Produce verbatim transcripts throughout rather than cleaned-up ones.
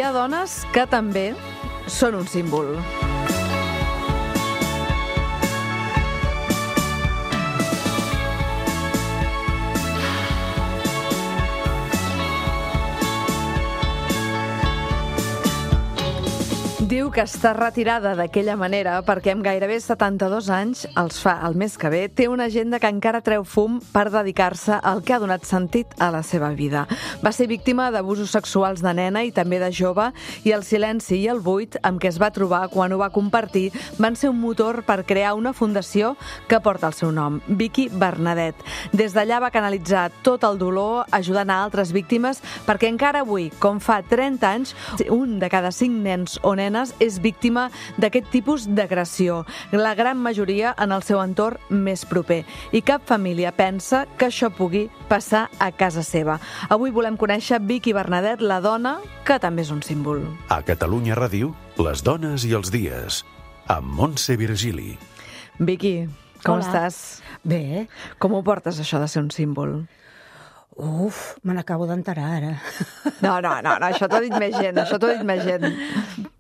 ha dones que també són un símbol. Diu que està retirada d'aquella manera perquè amb gairebé setanta-dos anys, els fa el mes que ve, té una agenda que encara treu fum per dedicar-se al que ha donat sentit a la seva vida. Va ser víctima d'abusos sexuals de nena i també de jove, i el silenci i el buit amb què es va trobar quan ho va compartir van ser un motor per crear una fundació que porta el seu nom, Vicky Bernadet. Des d'allà va canalitzar tot el dolor ajudant a altres víctimes perquè encara avui, com fa trenta anys, un de cada cinc nens o nenes és víctima d'aquest tipus d'agressió, la gran majoria en el seu entorn més proper. I cap família pensa que això pugui passar a casa seva. Avui volem conèixer Vicky Bernadet, la dona que també és un símbol. A Catalunya Ràdio, les dones i els dies, amb Montse Virgili. Vicky, com Hola. estàs? Bé. Com ho portes, això de ser un símbol? Uf, me n'acabo d'enterar ara. No, no, no, no, això t'ho ha dit més gent, això t'ho ha dit més gent.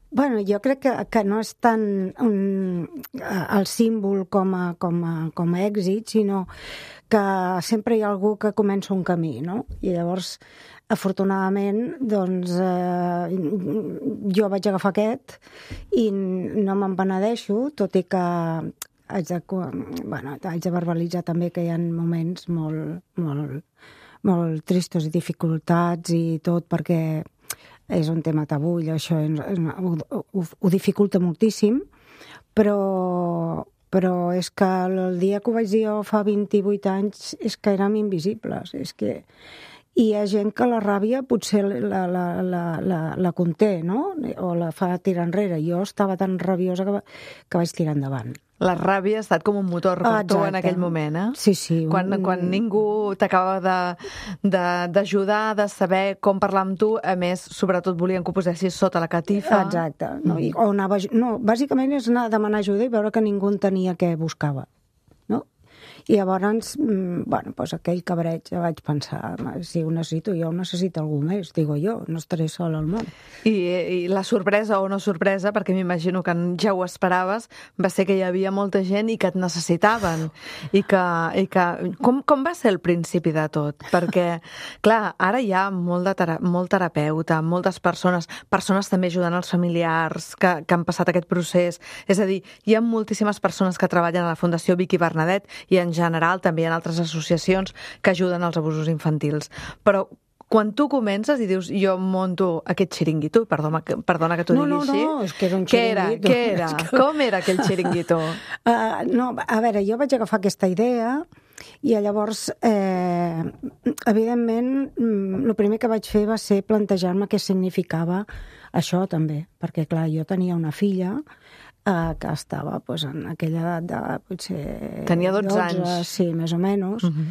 Bueno, jo crec que, que no és tant un, el símbol com a, com, a, com a èxit, sinó que sempre hi ha algú que comença un camí, no? I llavors, afortunadament, doncs, eh, jo vaig agafar aquest i no me'n penedeixo, tot i que haig de, bueno, haig de verbalitzar també que hi ha moments molt, molt, molt tristos i dificultats i tot, perquè és un tema tabú i això ho, ho, ho dificulta moltíssim, però, però és que el dia que ho vaig dir jo fa vint-i-vuit anys és que érem invisibles, és que hi ha gent que la ràbia potser la, la, la, la, la conté, no? O la fa tirar enrere. Jo estava tan rabiosa que, que vaig tirar endavant. La ràbia ha estat com un motor per tu en aquell moment, eh? Sí, sí. Quan, un... quan ningú t'acaba d'ajudar, de, de, de saber com parlar amb tu, a més, sobretot volien que ho posessis sota la catifa. Exacte. No, i, o anava, no, bàsicament és anar a demanar ajuda i veure que ningú entenia què buscava. No? I llavors, bueno, doncs aquell cabreig ja vaig pensar, si ho necessito jo, ho necessita algú més, digo jo, no estaré sola al món. I, i la sorpresa o no sorpresa, perquè m'imagino que ja ho esperaves, va ser que hi havia molta gent i que et necessitaven. I que, i que com, com va ser el principi de tot? Perquè, clar, ara hi ha molt, de tera, molt terapeuta, moltes persones, persones també ajudant els familiars que, que han passat aquest procés. És a dir, hi ha moltíssimes persones que treballen a la Fundació Vicky Bernadet i en general també hi ha altres associacions que ajuden als abusos infantils. Però quan tu comences i dius, jo monto aquest xiringuito, perdona, perdona que t'ho no, digui no, així. No, no, és que era un què era? xiringuito. Què era? Que... Com era aquell xiringuito? Uh, no, a veure, jo vaig agafar aquesta idea i llavors, eh, evidentment, el primer que vaig fer va ser plantejar-me què significava això també, perquè clar, jo tenia una filla Uh, que estava pues, en aquella edat de potser... Tenia dotze anys. Sí, més o menys. Uh-huh.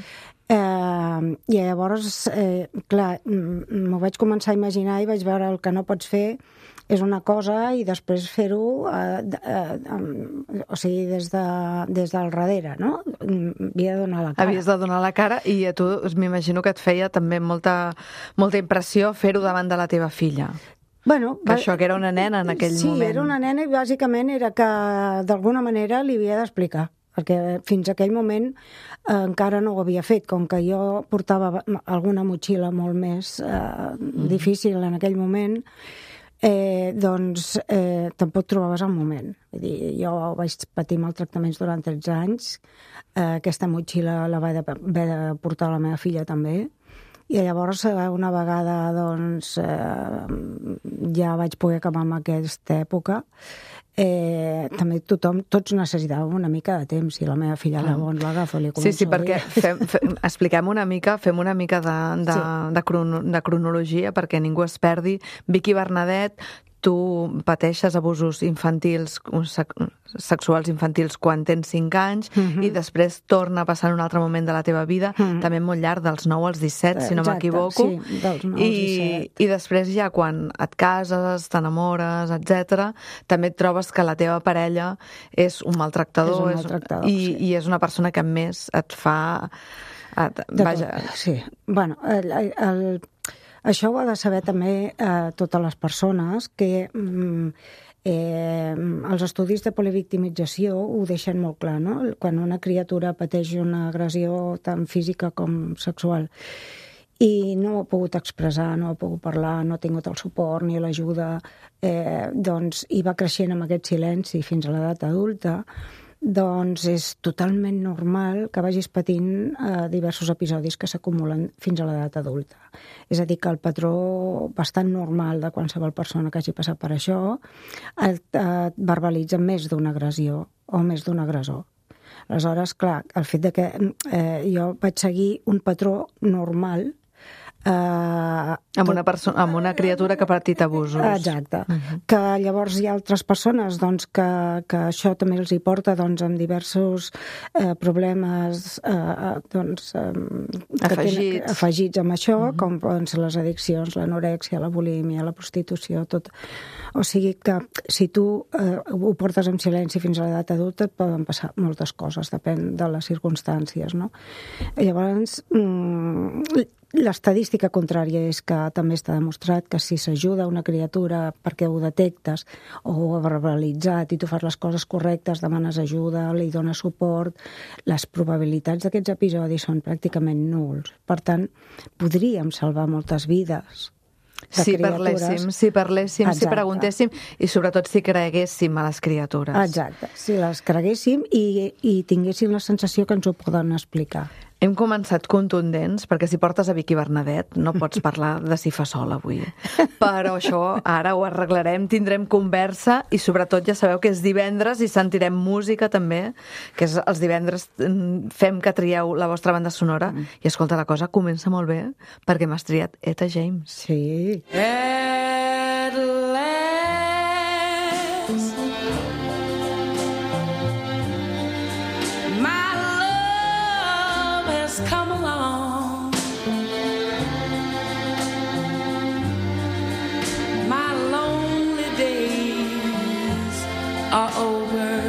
uh, I llavors, eh, clar, m'ho vaig començar a imaginar i vaig veure el que no pots fer és una cosa i després fer-ho uh, uh, um, o sigui, des, de, des del darrere, no? Havia de donar la cara. Havies de donar la cara i a tu m'imagino que et feia també molta, molta impressió fer-ho davant de la teva filla. Bueno, que això, que era una nena en aquell sí, moment. Sí, era una nena i bàsicament era que d'alguna manera li havia d'explicar, perquè fins a aquell moment eh, encara no ho havia fet, com que jo portava alguna motxilla molt més eh, mm. difícil en aquell moment, eh, doncs eh, tampoc trobaves el moment. Vull dir, jo vaig patir maltractaments durant tretze anys, eh, aquesta motxilla la vaig haver de portar a la meva filla també, i llavors una vegada doncs, eh, ja vaig poder acabar amb aquesta època. Eh, també tothom, tots necessitàvem una mica de temps i la meva filla ah. llavors l'agafa i li comença sí, sí, perquè fem, fem, expliquem una mica, fem una mica de, de, sí. de, crono, de cronologia perquè ningú es perdi. Vicky Bernadet, tu pateixes abusos infantils, sexuals infantils quan tens cinc anys uh-huh. i després torna a passar en un altre moment de la teva vida, uh-huh. també molt llarg, dels nou als disset, si no m'equivoco. Sí, dels nou als I, disset. I després ja quan et cases, t'enamores, etcètera, també et trobes que la teva parella és un maltractador, és un maltractador és, i, sí. i és una persona que més et fa... Et, de vaja... tot, sí. Bueno, el... el això ho ha de saber també eh, totes les persones que mm, eh, els estudis de polivictimització ho deixen molt clar, no? Quan una criatura pateix una agressió tant física com sexual i no ho ha pogut expressar, no ha pogut parlar, no ha tingut el suport ni l'ajuda, eh, doncs, i va creixent amb aquest silenci fins a l'edat adulta, doncs és totalment normal que vagis patint eh, diversos episodis que s'acumulen fins a l'edat adulta. És a dir, que el patró bastant normal de qualsevol persona que hagi passat per això et, et verbalitza més d'una agressió o més d'un agressor. Aleshores, clar, el fet de que eh, jo vaig seguir un patró normal Uh, amb, una perso- amb una criatura que ha patit abusos. Exacte. Uh-huh. Que llavors hi ha altres persones doncs, que, que això també els hi porta doncs, amb diversos eh, problemes eh, doncs, eh, afegits. Tenen, afegits amb això, uh-huh. com poden ser les addiccions, l'anorèxia, la bulímia, la prostitució, tot. O sigui que si tu eh, ho portes en silenci fins a l'edat adulta et poden passar moltes coses, depèn de les circumstàncies, no? Llavors, mm, l'estadística contrària és que també està demostrat que si s'ajuda una criatura perquè ho detectes o ho ha verbalitzat i tu fas les coses correctes, demanes ajuda, li dones suport, les probabilitats d'aquests episodis són pràcticament nuls. Per tant, podríem salvar moltes vides de si criatures. Parléssim, si parléssim, Exacte. si preguntéssim i sobretot si creguéssim a les criatures. Exacte, si les creguéssim i, i tinguéssim la sensació que ens ho poden explicar. Hem començat contundents, perquè si portes a Vicky Bernadet no pots parlar de si fa sol avui. Però això ara ho arreglarem, tindrem conversa i sobretot ja sabeu que és divendres i sentirem música també, que és els divendres fem que trieu la vostra banda sonora mm. i escolta, la cosa comença molt bé perquè m'has triat Etta James. Sí. At last, my come along, my lonely days are over,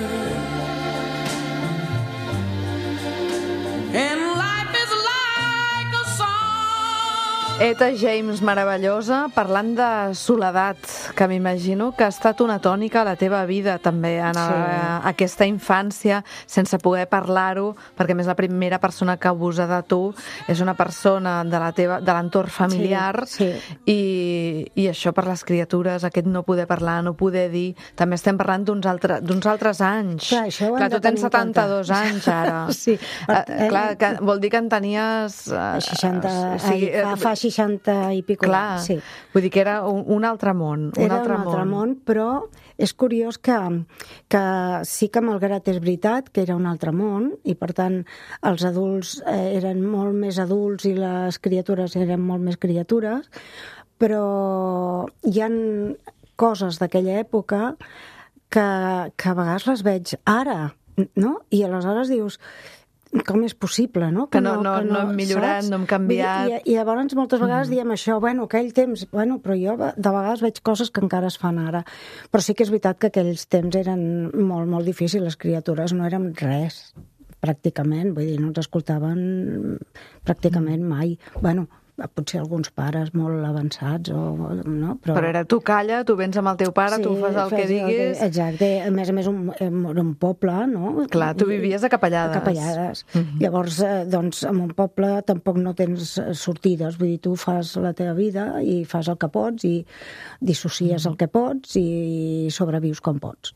and life is like a song. Etta James, meravellosa, parlant de soledat, que m'imagino que ha estat una tònica a la teva vida també, en sí. a, aquesta infància, sense poder parlar-ho, perquè a més la primera persona que abusa de tu és una persona de la teva, de l'entorn familiar, sí, sí. I, i això per les criatures, aquest no poder parlar, no poder dir, també estem parlant d'uns altre, d'uns altres anys. Clar, això clar tu tens setanta-dos anys ara. Sí. Uh, clar, que vol dir que en tenies... Uh, seixanta, o sigui, ai, fa, fa seixanta i pico. Clar, sí. Vull dir que era un, un altre món. Un Era altre un altre món. món, però és curiós que, que sí que malgrat és veritat que era un altre món i per tant els adults eh, eren molt més adults i les criatures eren molt més criatures, però hi ha coses d'aquella època que, que a vegades les veig ara, no? I aleshores dius... com és possible, no? Que no, no, que no, no hem millorat, saps? no hem canviat. I, i llavors moltes vegades mm. diem això, bueno, aquell temps, bueno, però jo de vegades veig coses que encara es fan ara. Però sí que és veritat que aquells temps eren molt, molt difícils, les criatures no eren res, pràcticament, vull dir, no ens escoltaven pràcticament mai. Bueno, potser alguns pares molt avançats o, no? Però, però era tu calla, tu vens amb el teu pare, sí, tu fas el que diguis... Exacte, a més a més un, era un poble, no? Clar, tu vivies a Capellades. A Capellades. Uh-huh. Llavors, eh, doncs, en un poble tampoc no tens sortides, vull dir, tu fas la teva vida i fas el que pots i dissocies uh-huh. el que pots i sobrevius com pots.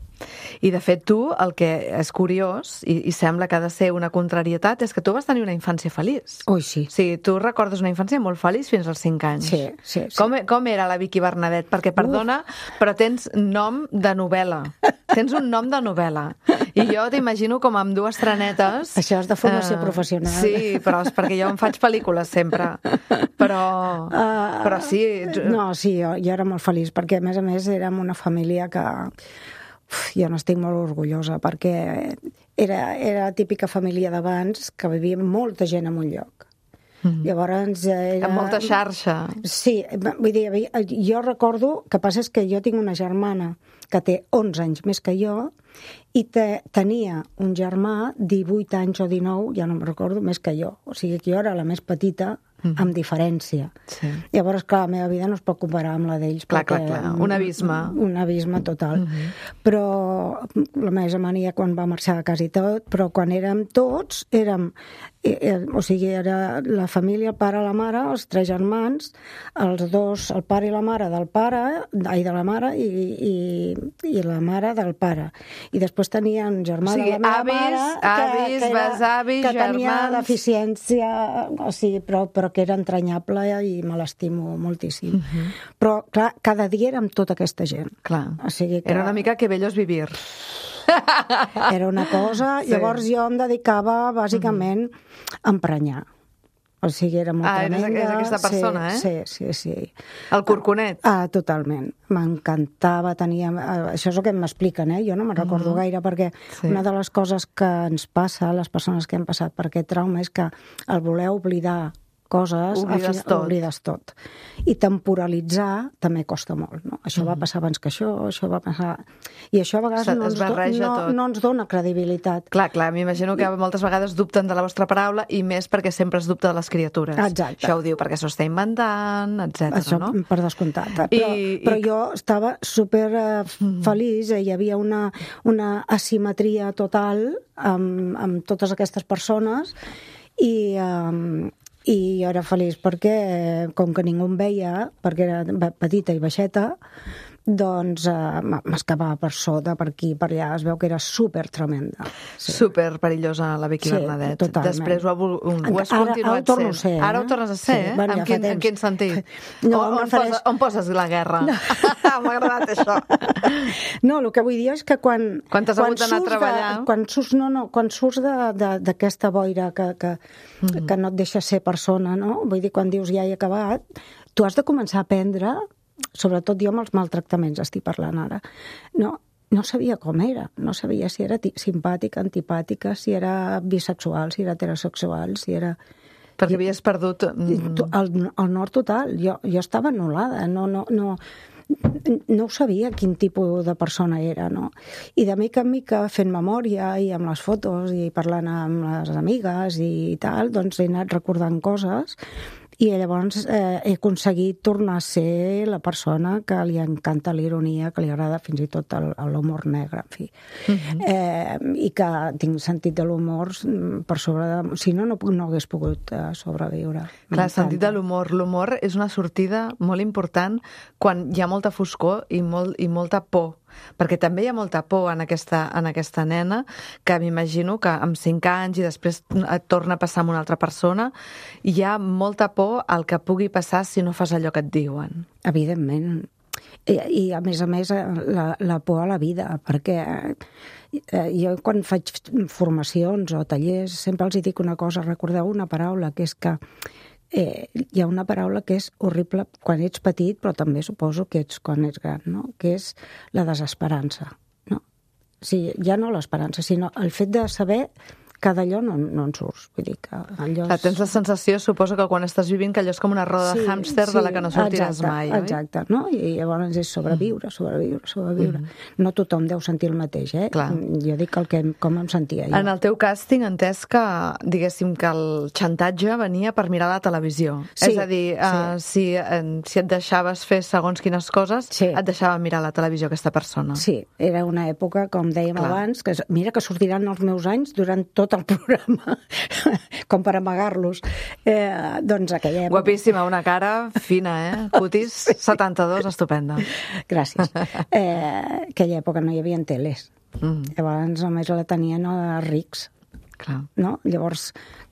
I de fet tu, el que és curiós i, i sembla que ha de ser una contrarietat és que tu vas tenir una infància feliç. Ui, sí. O sigui, tu recordes una infància molt feliç fins als cinc anys. Sí, sí, sí. Com, com era la Vicky Bernadet? Perquè, perdona, Uf. però tens nom de novel·la. Tens un nom de novel·la. I jo t'imagino com amb dues trenetes... Això és de formació uh, professional. Sí, però és perquè jo em faig pel·lícules sempre. Però, uh, però sí... No, sí, jo, jo era molt feliç, perquè a més a més érem una família que... Uf, jo n'estic molt orgullosa, perquè era, era la típica família d'abans que vivia molta gent en un lloc. Mm-hmm. Llavors era... Amb molta xarxa. Sí, vull dir, jo recordo que passa és que jo tinc una germana que té onze anys més que jo i te, tenia un germà divuit anys o dinou, ja no me'n recordo, més que jo. O sigui que jo era la més petita mm. amb diferència. Sí. Llavors, clar, la meva vida no es pot comparar amb la d'ells. Clar, perquè, clar, clar. Un abisme. Un abisme total. Mm -hmm. Però la meva germana quan va marxar a casa i tot, però quan érem tots, érem... Eh, eh, o sigui, era la família, el pare, la mare, els tres germans, els dos, el pare i la mare del pare, ai, de la mare, i, i, i la mare del pare. I després tenia un germà o sigui, de la meva avis, mare que, avis, que, era, besavis, que tenia germans... deficiència, o sigui, però, però que era entranyable i me l'estimo moltíssim. Uh -huh. Però, clar, cada dia érem tota aquesta gent. Clar. O sigui que... Era una mica que bello és vivir. Era una cosa... Sí. Llavors jo em dedicava, bàsicament, a emprenyar. O sigui, era molt ah, tremenda. Ah, eres aquesta persona, sí, eh? Sí, sí, sí. El corconet. Ah, totalment. M'encantava, tenia... Això és el que m'expliquen, eh? Jo no me'n recordo uh -huh. gaire, perquè sí. Una de les coses que ens passa a les persones que han passat per aquest trauma és que el voler oblidar coses, oblides fi, tot. oblides tot. I temporalitzar també costa molt, no? Això mm. va passar abans que això, això va passar... I això a vegades no ens, do, no, no ens dona credibilitat. Clar, clar, m'imagino que moltes vegades dubten de la vostra paraula i més perquè sempre es dubta de les criatures. Exacte. Això ho diu perquè s'ho està inventant, etcètera. Això, no? Per descomptat. Però, I, però i... jo estava super uh, feliç, hi havia una, una asimetria total amb, amb totes aquestes persones i... Um, i jo era feliç perquè, com que ningú em veia, perquè era petita i baixeta, doncs eh, m'escapava per sota, per aquí, per allà. Es veu que era super tremenda. Sí. Super perillosa la Vicky sí, Bernadet. Totalment. Després ho, ha, ho has ara, continuat ara ho torno sent. Ser, eh? Ara ho tornes a ser, sí, eh? Bueno, en, ja quin, en quin sentit? No, on, on, refereix... poses, on poses la guerra? No. M'ha agradat això. No, el que vull dir és que quan... Quan t'has hagut d'anar a treballar... De, quan surts, no, no, quan surts d'aquesta boira que, que, mm -hmm. que no et deixa ser persona, no? Vull dir, quan dius ja he acabat, tu has de començar a aprendre... Sobretot jo amb els maltractaments estic parlant ara. No, no sabia com era. No sabia si era simpàtica, antipàtica, si era bisexual, si era heterosexual, si era... Perquè havies perdut... El, el nord total. Jo, jo estava anul·lada. No, no, no, no ho sabia quin tipus de persona era, no? I de mica en mica, fent memòria i amb les fotos i parlant amb les amigues i tal, doncs he anat recordant coses. I llavors eh, he aconseguit tornar a ser la persona que li encanta la ironia, que li agrada fins i tot l'humor negre, en fi. Uh -huh. eh, I que tinc sentit de l'humor per sobre de... Si no, no, no hagués pogut eh, sobreviure. Clar, sentit de l'humor. L'humor és una sortida molt important quan hi ha molta foscor i, molt, i molta por. Perquè també hi ha molta por en aquesta, en aquesta nena, que m'imagino que amb cinc anys i després et torna a passar amb una altra persona, hi ha molta por al que pugui passar si no fas allò que et diuen. Evidentment. I, i a més a més, la, la por a la vida, perquè eh, jo quan faig formacions o tallers sempre els dic una cosa, recordeu una paraula, que és que Eh, hi ha una paraula que és horrible quan ets petit, però també suposo que ets quan ets gran, no? Que és la desesperança. No? O sigui, ja no l'esperança, sinó el fet de saber que d'allò no, no en surts. Vull dir que allò... Clar, tens la sensació, suposo que quan estàs vivint, que allò és com una roda sí, de hàmster sí, de la que no sortiràs exacte, mai, oi? Exacte, no? I llavors és sobreviure, sobreviure, sobreviure. Mm. No tothom deu sentir el mateix, eh? Clar. Jo dic el que, com em sentia jo. En el teu cas tinc entès que, diguéssim, que el xantatge venia per mirar la televisió. Sí, és a dir, sí. uh, si, uh, si et deixaves fer segons quines coses, sí. et deixava mirar la televisió aquesta persona. Sí, era una època, com dèiem Clar. abans, que mira que sortiran els meus anys durant tot el programa, com per amagar-los. Eh, doncs aquella època... Guapíssima, una cara fina, eh? Cutis, sí. setanta-dos, estupenda. Gràcies. Eh, aquella època no hi havia teles. Mm. Llavors només la tenien els rics. Clar. No? Llavors,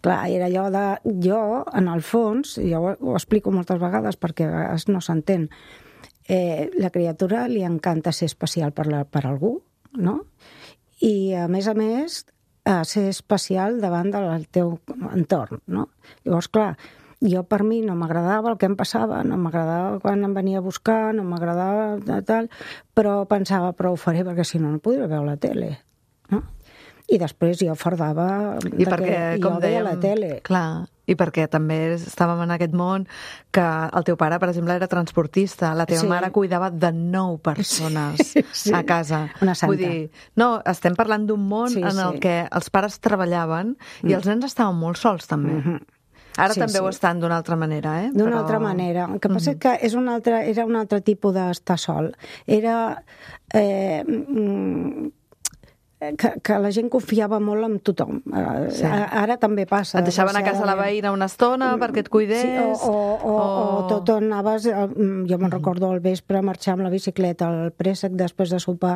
clar, era allò de... Jo, en el fons, jo ho, ho explico moltes vegades perquè a vegades no s'entén, eh, la criatura li encanta ser especial per, la, per algú, no? I, a més a més, a ser especial davant del teu entorn, no? Llavors, clar, jo per mi no m'agradava el que em passava, no m'agradava quan em venia a buscar, no m'agradava tal, però pensava, però ho faré perquè si no, no podré veure la tele, no? I després jo fardava I perquè, que com jo veia dèiem, la tele. Clar, i perquè també estàvem en aquest món que el teu pare, per exemple, era transportista, la teva Sí. mare cuidava de nou persones Sí, sí. a casa. Una santa. Vull dir, no, estem parlant d'un món Sí, en el sí. que els pares treballaven i Mm. els nens estaven molt sols, també. Mm-hmm. Ara sí, també sí. ho estan d'una altra manera, eh? D'una Però... altra manera. El que passa mm-hmm. és que és un altre, era un altre tipus d'estar sol. Era... Eh, mm, que, que la gent confiava molt en tothom. Sí. Ara també passa. Et deixaven a casa la veïna una estona perquè et cuidés? Sí, o, o, o, o... o tot on anaves... Jo me'n recordo al vespre marxar amb la bicicleta al préssec després de sopar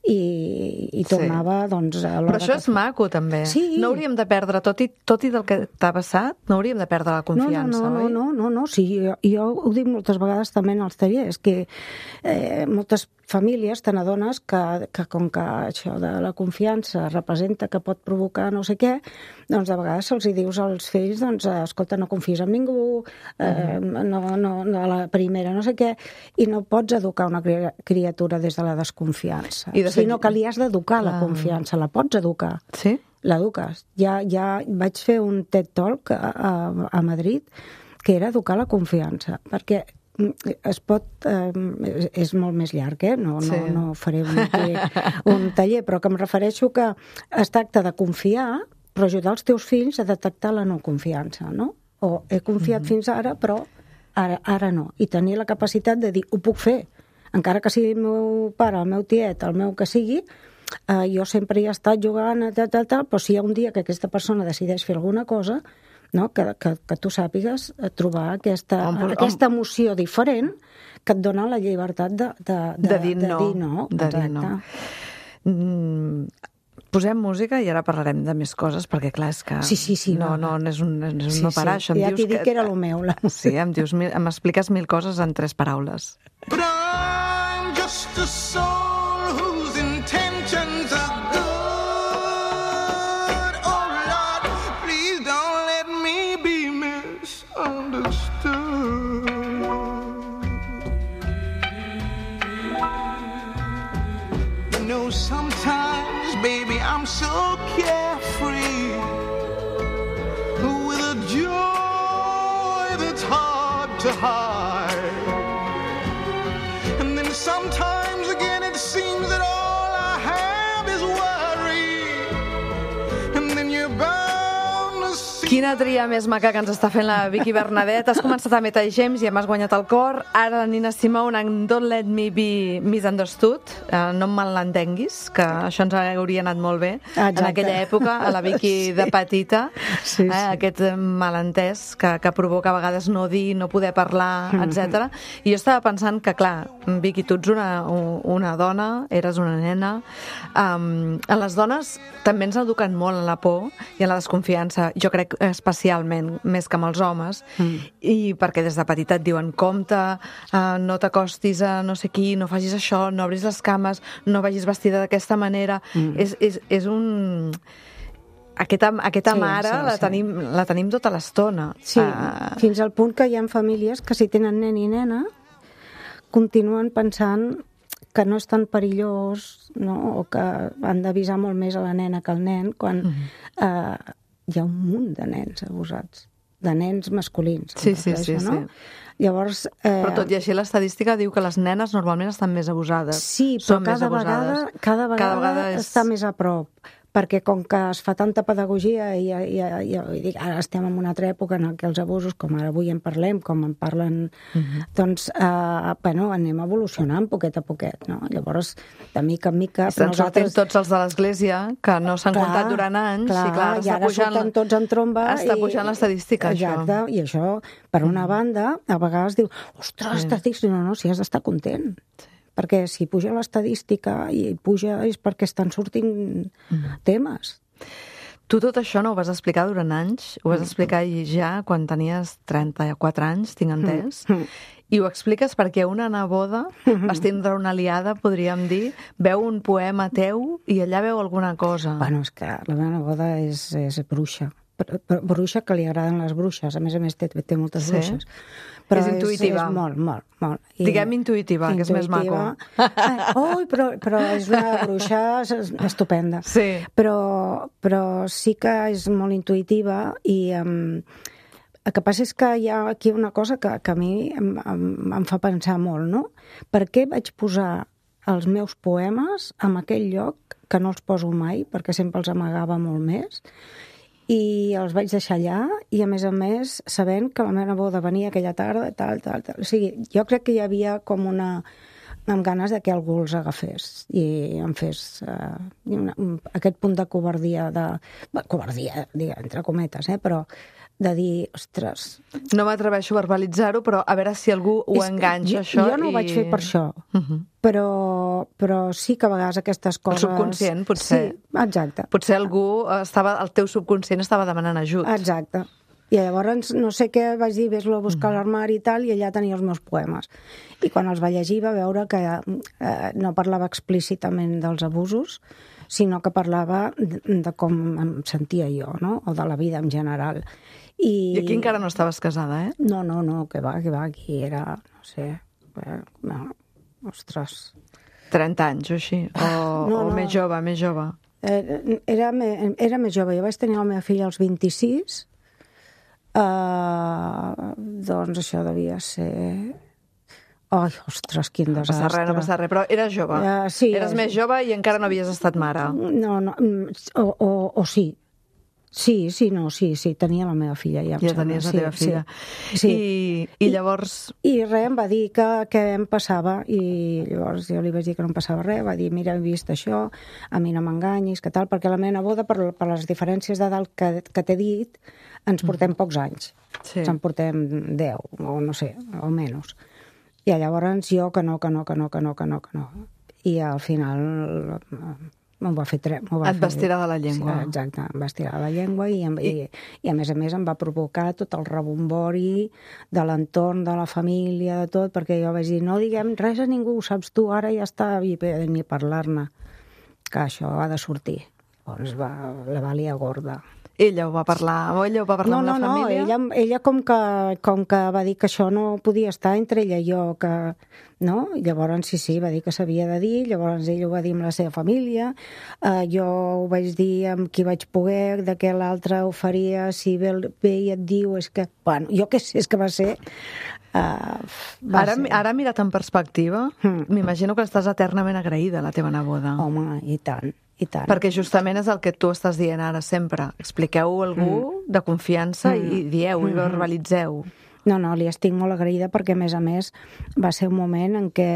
i, i tornava, sí. doncs... A Però això que... és maco, també. Sí. No hauríem de perdre, tot i, tot i del que t'ha passat, no hauríem de perdre la confiança, no, no, oi? No, no, no, no, sí, jo, jo ho dic moltes vegades també en els tallers, que eh, moltes famílies te n'adones que, que com que això de la confiança representa que pot provocar no sé què, doncs de vegades se'ls hi dius als fills, doncs, escolta, no confies en ningú, eh, no, no, no a la primera no sé què, i no pots educar una criatura des de la desconfiança. I de fet... Sinó que li has d'educar ah. la confiança, la pots educar. Sí? L'eduques. Ja, ja vaig fer un TED Talk a, a, a Madrid que era educar la confiança, perquè es pot... Eh, és molt més llarg, eh? No, sí. no, no faré un, un taller, però que em refereixo que es tracta de confiar, però ajudar els teus fills a detectar la no confiança, no? O he confiat mm-hmm. fins ara, però ara, ara no. I tenir la capacitat de dir, ho puc fer. Encara que sigui el meu pare, el meu tiet, el meu que sigui, eh, jo sempre hi he estat jugant, tal, tal, tal, però si hi ha un dia que aquesta persona decideix fer alguna cosa, no? que, que, que tu sàpigues trobar aquesta, on, aquesta emoció diferent que et dona la llibertat de, de, de, de dir no. De dir no. De dir no. Mm, posem música i ara parlarem de més coses, perquè clar, és que sí, sí, sí, no, no, no és un, és un sí, no parar. Sí. Això em ja dius t'hi dic que era el meu. La sí, em dius, m'expliques mil coses en tres paraules. But I'm just a soul whose intentions are good. Understood. You know, sometimes, baby, I'm so carefree, with a joy that's hard to hide. And then sometimes again it seems that all I have is worry. And then you're bound. Quina tria més maca que ens està fent la Vicky Bernadet. Has començat amb Etta James i ja m'has guanyat el cor. Ara la Nina Simone en Don't Let Me Be Misunderstood. Uh, no em malentenguis, que això ens hauria anat molt bé. Exacte. En aquella època, a la Vicky sí. de petita. Sí, sí. Eh, aquest malentès que, que provoca a vegades no dir, no poder parlar, etcètera. I jo estava pensant que, clar, Vicky, tu ets una, una dona, eres una nena. Um, en les dones també ens eduquen molt en la por i en la desconfiança. Jo crec especialment, més que amb els homes, mm. i perquè des de petita et diuen compte, uh, no t'acostis a no sé qui, no facis això, no obris les cames, no vagis vestida d'aquesta manera. Mm. És, és, és un... Aquesta, aquesta sí, mare sí, la, sí. Tenim, la tenim tota l'estona. Sí, uh... fins al punt que hi ha famílies que si tenen nen i nena continuen pensant que no és tan perillós, no? O que han d'avisar molt més a la nena que al nen, quan mm. uh, hi ha un munt de nens abusats, de nens masculins. Sí, sí, sí, no? Sí. Llavors, eh... Però tot i així l'estadística diu que les nenes normalment estan més abusades. Sí, però cada vegada, cada vegada, cada vegada és... està més a prop. Perquè com que es fa tanta pedagogia i, i, i, i dic, ara estem en una altra època en què els abusos, com ara avui en parlem, com en parlen, uh-huh. doncs, eh, bueno, anem evolucionant poquet a poquet, no? Llavors, de mica en mica... Estan nosaltres... sortint tots els de l'Església, que no s'han clar, comptat durant anys, clar, i clar, i ara pujant, surten tots en tromba... Està pujant l'estadística, això. Exacte, i això, per una banda, a vegades diu, ostres, sí. estadística, no, no, si has d'estar content. Sí. Perquè si puja l'estadística i puja és perquè estan sortint mm. temes. Tu tot això no ho vas explicar durant anys, ho vas explicar ja quan tenies trenta-quatre anys, tinc entès, mm. i ho expliques perquè una neboda vas tindre una aliada, podríem dir, veu un poema teu i allà veu alguna cosa. Bueno, és que la meva neboda és, és bruixa. Bruixa que li agraden les bruixes, a més a més té, té moltes sí. bruixes. Però és intuïtiva. És, és molt, molt, molt. I diguem intuïtiva, intuïtiva, que és més maco. Ai, oh, però, però és una bruixa estupenda. Sí. Però, però sí que és molt intuïtiva i um, el que passa és que hi ha aquí una cosa que, que a mi em, em, em fa pensar molt, no? Per què vaig posar els meus poemes en aquell lloc que no els poso mai, perquè sempre els amagava molt més, i els vaig deixar allà, i a més a més sabent que la meva neboda venia aquella tarda, tal, tal, tal. O sigui, jo crec que hi havia com una... amb ganes de que algú els agafés i em fes uh, una, un, aquest punt de covardia, de... Bé, covardia, digue, entre cometes, eh? Però de dir, ostres... No m'atreveixo a verbalitzar-ho, però a veure si algú ho És que enganxa, jo, això. Jo no ho i... vaig fer per això, Uh-huh. però, però sí que a vegades aquestes coses... El subconscient, potser. Sí, exacte. Potser algú estava, el teu subconscient estava demanant ajut. Exacte. I llavors no sé què vaig dir, ves-lo a buscar a l'armari i tal, i allà tenia els meus poemes. I quan els va llegir va veure que eh, no parlava explícitament dels abusos, sinó que parlava de, de com em sentia jo, no? O de la vida en general. I, I aquí encara no estaves casada, eh? No, no, no, que va, que va, aquí era, no sé, eh, no, ostres... trenta anys o així? O, no, o no. més jove, més jove? Eh, era, me, era més jove, jo vaig tenir la meva filla als vint-i-sis, Uh, doncs això devia ser... Ai, ostres, quin No desastre. passa res, no passa res, però eres jove. Uh, sí, Eres és... més jove i encara no havies estat mare. No, no, o, o, o sí. Sí, sí, no, sí, sí, tenia la meva filla. Ja, Ja tenies la sí, teva filla. Sí, sí. I, I llavors... I res, em va dir que, que em passava, i llavors jo li vaig dir que no em passava res, va dir, mira, he vist això, a mi no m'enganyis, que tal, perquè la meva neboda, per, per les diferències d'edat que, que t'he dit, ens portem pocs anys. Sí. Ens en portem deu, o no sé, o menys. I llavors jo que no, que no, que no, que no, que no, que no. I al final m'ho va fer... Tre... va Et fer... vas tirar de la llengua. Sí, exacte, em vas tirar de la llengua i, em, I... I, i a més a més em va provocar tot el rebombori de l'entorn, de la família, de tot, perquè jo vaig dir, no diguem res a ningú, ho saps tu, ara ja està, i ni parlar-ne, que això ha de sortir. Llavors va, la valia gorda. Ella ho va parlar, o ella ho va parlar no, amb la no, família? No, ella, ella com, que, com que va dir que això no podia estar entre ella i jo, que, no? I llavors sí, sí, va dir que s'havia de dir, llavors ella ho va dir amb la seva família, uh, jo ho vaig dir amb qui vaig poder, de què l'altre ho faria, si ve, ve i et diu, és que, bueno, jo què sé, és que va ser... Uh, va ara, ser. ara mirat en perspectiva, Mm. m'imagino que estàs eternament agraïda a la teva neboda. Home, i tant, i tant. Perquè justament és el que tu estàs dient ara sempre. Expliqueu a algú mm. de confiança mm. i dieu mm. i verbalitzeu. No, no, li estic molt agraïda perquè, a més a més, va ser un moment en què,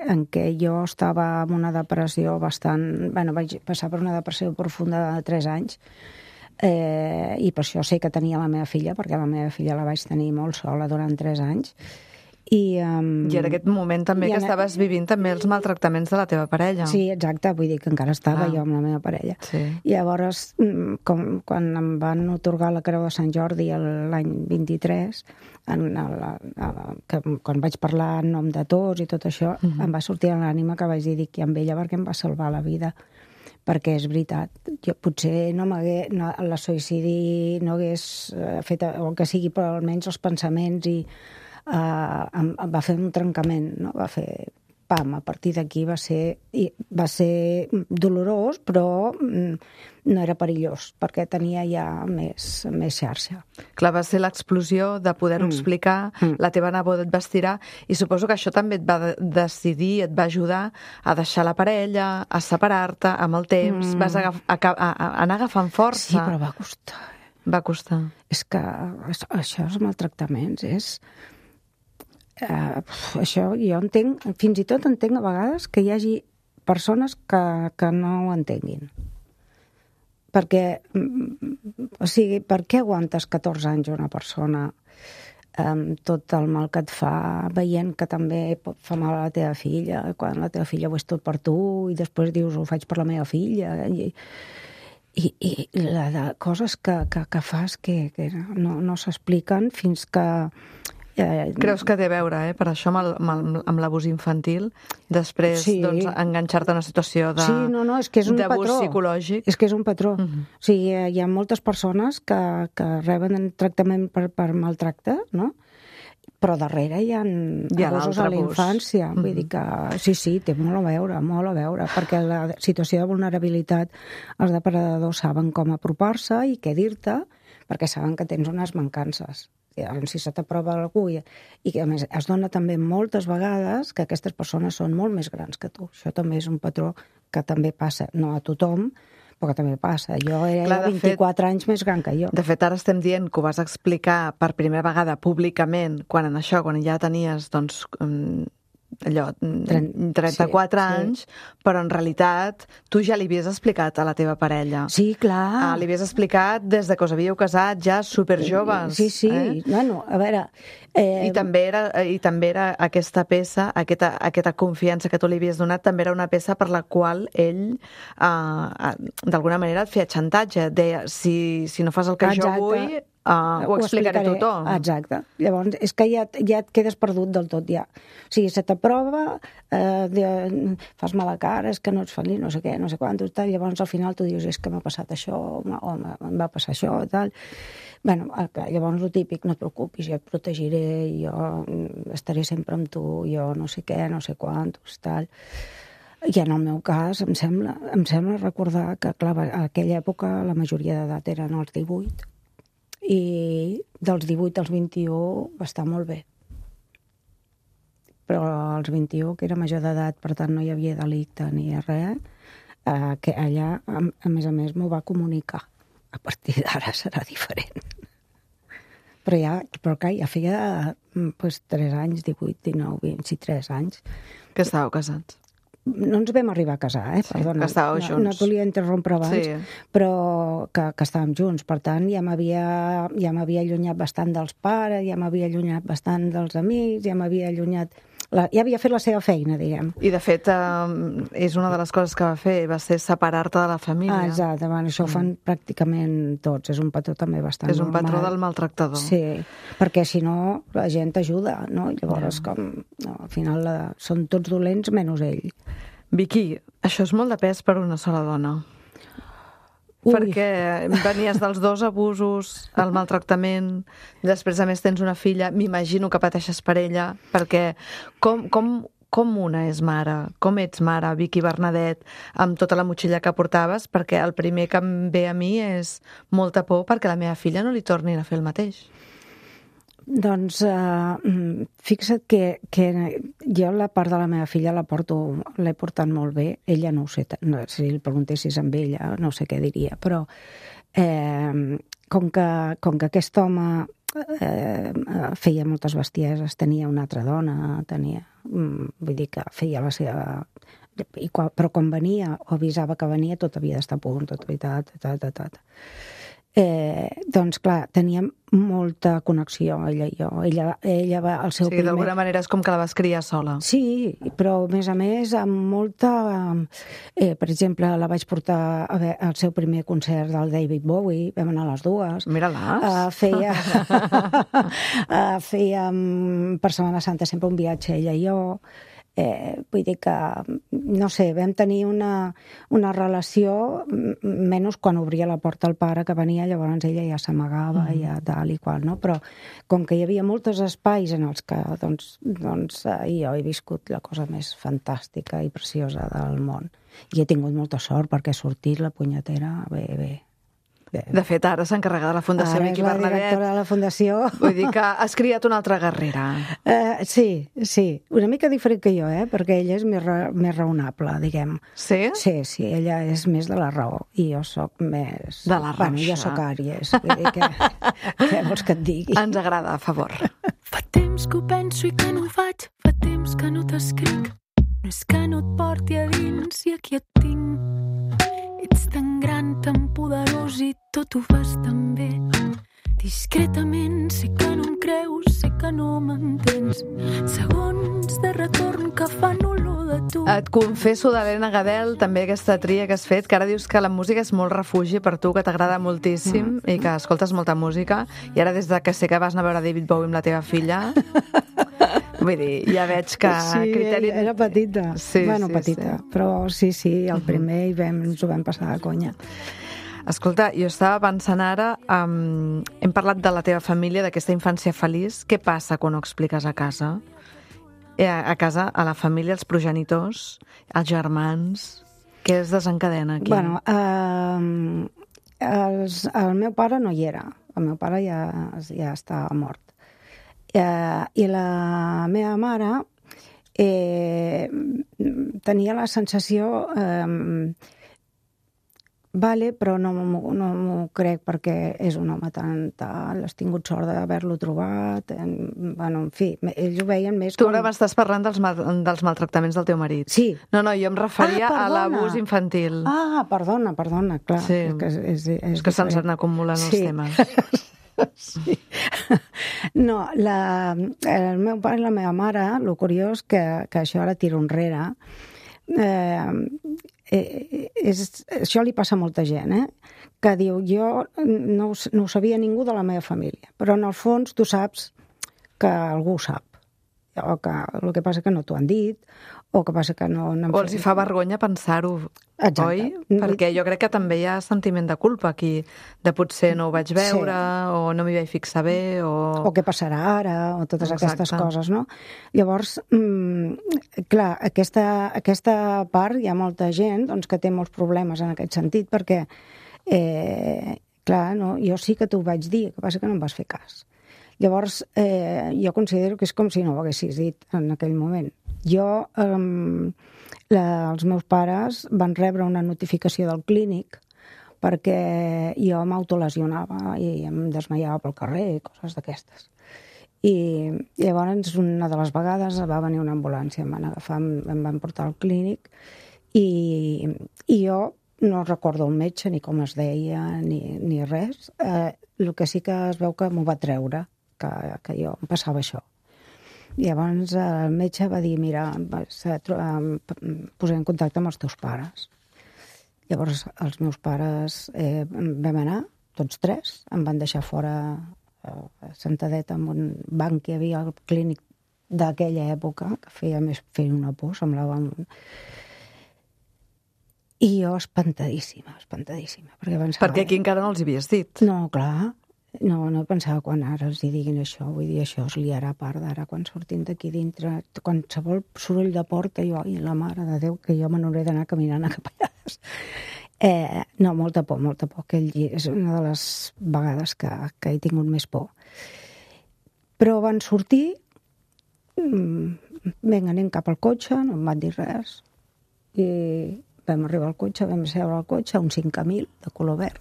en què jo estava en una depressió bastant... Bueno, vaig passar per una depressió profunda de tres anys, eh, i per això sé que tenia la meva filla, perquè la meva filla la vaig tenir molt sola durant tres anys. I, um, I en aquest moment també que en... estaves vivint també els maltractaments de la teva parella. Sí, exacte, vull dir que encara estava ah. jo amb la meva parella. Sí. I llavors, com, quan em van otorgar la Creu de Sant Jordi l'any vint-i-tres, en el, el, que, quan vaig parlar en nom de tots i tot això, uh -huh. em va sortir a l'ànima que vaig dir, dic, i amb ella perquè em va salvar la vida. Perquè és veritat, jo potser no m'hagués, no, la suïcidi no hagués fet, o que sigui, però almenys els pensaments i Uh, em, em va fer un trencament, no? Va fer pam, a partir d'aquí va ser i va ser dolorós, però mm, no era perillós, perquè tenia ja més, més xarxa. Clar, va ser l'explosió de poder-ho mm. explicar, mm. la teva neboda et va estirar, i suposo que això també et va decidir, et va ajudar a deixar la parella, a separar-te amb el temps, mm. vas agaf a, a, a anar agafant força. Sí, però va costar. Va costar. És que això, els maltractaments, és... Uh, això jo entenc, fins i tot entenc a vegades que hi hagi persones que, que no ho entenguin. Perquè, o sigui, per què aguantes catorze anys una persona amb tot el mal que et fa, veient que també pot fer mal a la teva filla, quan la teva filla ho és tot per tu, i després dius, ho faig per la meva filla, i, i, i la de coses que, que, que fas que, que no, no s'expliquen fins que... Eh, Creus que té a veure, eh, per això amb, el, amb, amb l'abús infantil, després sí. doncs, enganxar-te a una situació de, sí, no, no, és que és un d'abús patró. psicològic? És que és un patró. Uh -huh. O sigui, hi ha moltes persones que, que reben tractament per, per maltracte, no? Però darrere hi ha, hi ha abusos a la infància. Uh -huh. Vull dir que sí, sí, té molt a veure, molt a veure, perquè la situació de vulnerabilitat, els depredadors saben com apropar-se i què dir-te, perquè saben que tens unes mancances. Si se t'aprova algú i, i a més es dona també moltes vegades que aquestes persones són molt més grans que tu. Això també és un patró que també passa, no a tothom, però també passa. Jo era Clar, de vint-i-quatre anys més gran que jo. De fet, ara estem dient que ho vas explicar per primera vegada públicament, quan en això, quan ja tenies, doncs, mm, allò, trenta-quatre sí, anys, sí. però en realitat tu ja li havies explicat a la teva parella. Sí, clar. Ah, li havies explicat des de que us havíeu casat, ja superjoves. Sí, sí. Eh? Bueno, a veure... Eh... I, també era, I també era aquesta peça, aquesta, aquesta confiança que tu li havies donat, també era una peça per la qual ell, eh, d'alguna manera, et feia xantatge. Deia, si, si no fas el que Exacte. jo vull... Uh, ho, ho explicaré a tothom. Exacte. Llavors, és que ja, ja et quedes perdut del tot, ja. O sigui, se t'aprova, eh, de, fas mala cara, és que no ets feliç, no sé què, no sé quant, tal. Llavors, al final, tu dius, és que m'ha passat això, o em va passar això, tal. Bueno, llavors, el típic, no et preocupis, jo et protegiré, jo estaré sempre amb tu, jo no sé què, no sé quantos, tal. I en el meu cas, em sembla, em sembla recordar que, clar, a aquella època la majoria d'edat eren els divuit, i dels divuit als vint-i-u va estar molt bé. Però als vint-i-u, que era major d'edat, per tant no hi havia delicte ni res, eh, que allà, a, a més a més, m'ho va comunicar. A partir d'ara serà diferent. Però ja, però clar, ja feia pues, tres anys, divuit, dinou, vint, sí, tres anys. Que estàveu casats. No ens vam arribar a casar, eh? Sí, Perdona. que estàveu no, junts. no et volia interrompre abans, sí. però que, que estàvem junts. Per tant, ja m'havia ja m'havia allunyat bastant dels pares, ja m'havia allunyat bastant dels amics, ja m'havia allunyat... La, ja havia fet la seva feina, diguem. I, de fet, eh, és una de les coses que va fer, va ser separar-te de la família. Ah, exacte, bueno, això ho fan mm. pràcticament tots. És un patró també bastant És un normal. patró del maltractador. Sí, perquè si no, la gent t'ajuda, no? Llavors, yeah. com, no, al final la, són tots dolents menys ell. Vicky, això és molt de pes per una sola dona. Ui. Perquè venies dels dos abusos, el maltractament, després a més tens una filla, m'imagino que pateixes per ella, perquè com, com, com una és mare, com ets mare, Vicky Bernadet, amb tota la motxilla que portaves, perquè el primer que em ve a mi és molta por perquè la meva filla no li tornin a fer el mateix. Doncs uh, fixa't que, que jo la part de la meva filla la porto, l'he portat molt bé. Ella no ho sé, no, si el preguntessis amb ella no sé què diria, però eh, com, que, com que aquest home eh, feia moltes bestieses, tenia una altra dona, tenia, vull dir que feia la seva... I quan, però quan venia o avisava que venia tot havia d'estar a punt, tot havia de... Ta, ta, ta, ta. Eh, doncs clar, teníem molta connexió ella i jo. Ella, ella va al seu sí, primer... d'alguna manera és com que la vas criar sola. Sí, però a més a més amb molta... Eh, per exemple, la vaig portar a veure, al seu primer concert del David Bowie, vam anar a les dues. Mira-les. Uh, feia... uh, fèiem per Setmana Santa sempre un viatge ella i jo. Eh, vull dir que, no sé, vam tenir una, una relació, menys quan obria la porta al pare que venia, llavors ella ja s'amagava, mm. ja tal i qual, no? Però com que hi havia molts espais en els que, doncs, doncs eh, jo he viscut la cosa més fantàstica i preciosa del món. I he tingut molta sort perquè ha sortit la punyetera bé, bé. De fet, ara s'encarrega de la Fundació Vicky Bernadet. Ara és la directora de la Fundació. Vull dir que has criat una altra guerrera. Uh, sí, sí. Una mica diferent que jo, eh? Perquè ella és més, ra més raonable, diguem. Sí? Sí, sí, ella és més de la raó i jo sóc més... De la rauxa. Bueno, jo sóc Àries. Vull dir que... Què vols que et digui? Ens agrada, a favor. Fa temps que ho penso i que no ho faig, fa temps que no t'escric. No és que no et porti a dins i aquí et tinc. Ets tan gran, tan poderós i tot ho fas tan bé. Discretament, sé que no em creus, sé que no m'entens. Segons de retorn que fan olor de tu. Et confesso d'Helena Gadel, també aquesta tria que has fet, que ara dius que la música és molt refugi per tu, que t'agrada moltíssim mm. i que escoltes molta música. I ara, des de que sé que vas anar a veure David Bowie amb la teva filla... Vull dir, ja veig que... Sí, criteri... era petita. Sí, bueno, sí, petita. Sí. Però sí, sí, el primer i vam, ens ho vam passar de conya. Escolta, jo estava pensant ara, um, hem parlat de la teva família, d'aquesta infància feliç. Què passa quan ho expliques a casa? Eh, a casa, a la família, els progenitors, els germans... Què es desencadena aquí? Bueno, eh, els, el meu pare no hi era. El meu pare ja, ja està mort. Eh, I la meva mare eh, tenia la sensació... Eh, vale, però no m'ho no m'ho crec perquè és un home tan tal, has tingut sort d'haver-lo trobat, en, bueno, en fi, ells ho veien més Tu com... ara m'estàs parlant dels, mal, dels maltractaments del teu marit. Sí. No, no, jo em referia Ah, a perdona. l'abús infantil. Ah, perdona, perdona, clar. Sí. És que, és, és, és, És que se'ns diferent. han acumulant els Sí. temes. Sí. No, la, el meu pare i la meva mare, el curiós que, que això ara tiro enrere, eh, eh, és, això li passa a molta gent, eh? Que diu, jo no, ho- no ho sabia ningú de la meva família, però en el fons tu saps que algú ho sap, o que el que passa que no t'ho han dit, o que passa que no... no han O els hi fa vergonya pensar-ho, Exacte. oi? Perquè jo crec que també hi ha sentiment de culpa aquí, de potser no ho vaig veure, Sí. o no m'hi vaig fixar bé, o... o què passarà ara, o totes Exacte. aquestes coses, no? Llavors, mm, clar, aquesta, aquesta part hi ha molta gent doncs, que té molts problemes en aquest sentit, perquè, eh, clar, no, jo sí que t'ho vaig dir, el que passa que no em vas fer cas. Llavors, eh, jo considero que és com si no ho haguessis dit en aquell moment. Jo, eh, la, els meus pares van rebre una notificació del clínic perquè jo m'autolesionava i em desmaiava pel carrer, coses d'aquestes. I llavors, una de les vegades va venir una ambulància, em van agafar, em, em van portar al clínic i, i jo no recordo el metge, ni com es deia, ni, ni res. Eh, el que sí que es veu que m'ho va treure, que, que jo em passava això. I llavors el metge va dir, mira, vas a tro- em posar en contacte amb els teus pares. Llavors els meus pares eh, vam anar, tots tres, em van deixar fora eh, sentadet en un banc que hi havia al clínic d'aquella època, que feia més feia una por, semblava un... I jo espantadíssima, espantadíssima. Perquè pensava... Perquè aquí encara no els hi havies dit. No, clar, no, no pensava quan ara els hi diguin això, vull dir, això es liarà a part d'ara, quan sortim d'aquí dintre, qualsevol soroll de porta, jo, i la mare de Déu, que jo me n'hauré d'anar caminant a cap allà. Eh, no, molta por, molta por. Aquell llibre és una de les vegades que, que he tingut més por. Però van sortir, mm, vinga, anem cap al cotxe, no em van dir res, i vam arribar al cotxe, vam seure al cotxe, un cinc mil de color verd.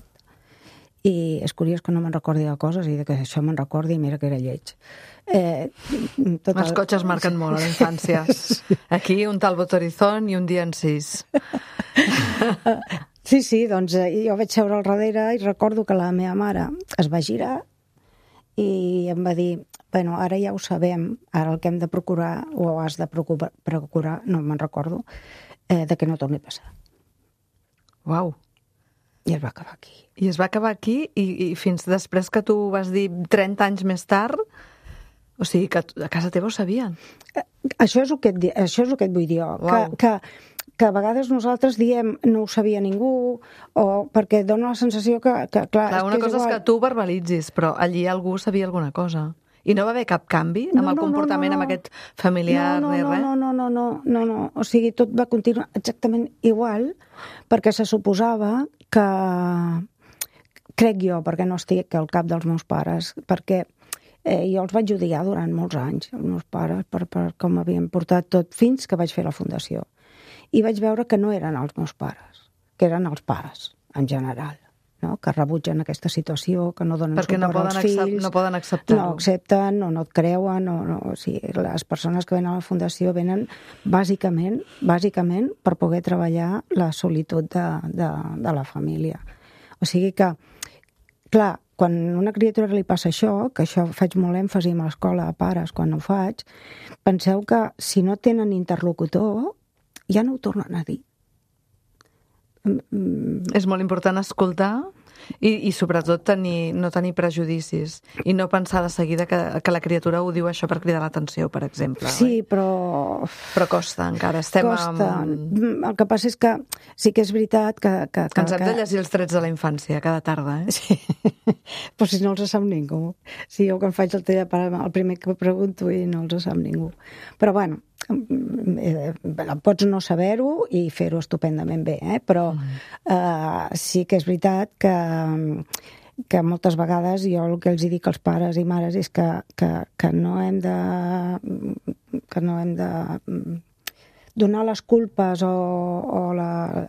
I és curiós que no me'n recordi de coses i de que això me'n recordi, mira que era lleig. Eh, tot Els el... cotxes marquen molt a la infància. Aquí un Talbot Horizon i un dia en sis. Sí, sí, doncs eh, jo vaig seure al darrere i recordo que la meva mare es va girar i em va dir, bueno, ara ja ho sabem, ara el que hem de procurar, o has de procurar, procurar no me'n recordo, eh, de que no torni a passar. Uau. I es va acabar aquí. I es va acabar aquí i, i fins després que tu vas dir trenta anys més tard, o sigui, que a casa teva ho sabien. Eh, Això és el que et, di- això és el que et vull dir jo, que, Uau. que, que a vegades nosaltres diem no ho sabia ningú, o perquè dona la sensació que, que clar, Clar, una és que cosa és igual. que tu verbalitzis, però allí algú sabia alguna cosa. I no va haver cap canvi amb No, el no, no, comportament no, no. amb aquest familiar no, no, ni no, res? no, no, no, no, no, no, o sigui, tot va continuar exactament igual, perquè se suposava que, crec jo, perquè no estic al cap dels meus pares, perquè eh, jo els vaig odiar durant molts anys, els meus pares, per, per com havien portat tot, fins que vaig fer la fundació. I vaig veure que no eren els meus pares, que eren els pares, en general, no? Que rebutgen aquesta situació, que no donen Perquè no suport poden als accep- fills. no poden acceptar-ho. No accepten, o no et creuen, o no, o sigui, les persones que venen a la fundació venen bàsicament, bàsicament per poder treballar la solitud de, de, de la família. O sigui que, clar, quan a una criatura li passa això, que això faig molt èmfasi a l'escola a pares quan ho faig, penseu que si no tenen interlocutor, ja no ho tornen a dir. És molt important escoltar i, i sobretot tenir, no tenir prejudicis i no pensar de seguida que, que la criatura ho diu això per cridar l'atenció, per exemple. Sí, oi? però... Però costa encara, estem Costa. amb... El que passa és que sí que és veritat que... que, Que ens hem que... de llegir els trets de la infància cada tarda, eh? Sí. Però si no els sap ningú. Si jo quan faig el telepare, el primer que pregunto i no els sap ningú. Però bueno, eh, pots no saber-ho i fer-ho estupendament bé, eh? Però eh, sí que és veritat que que moltes vegades jo el que els dic als pares i mares és que, que, que no hem de que no hem de donar les culpes o, o la-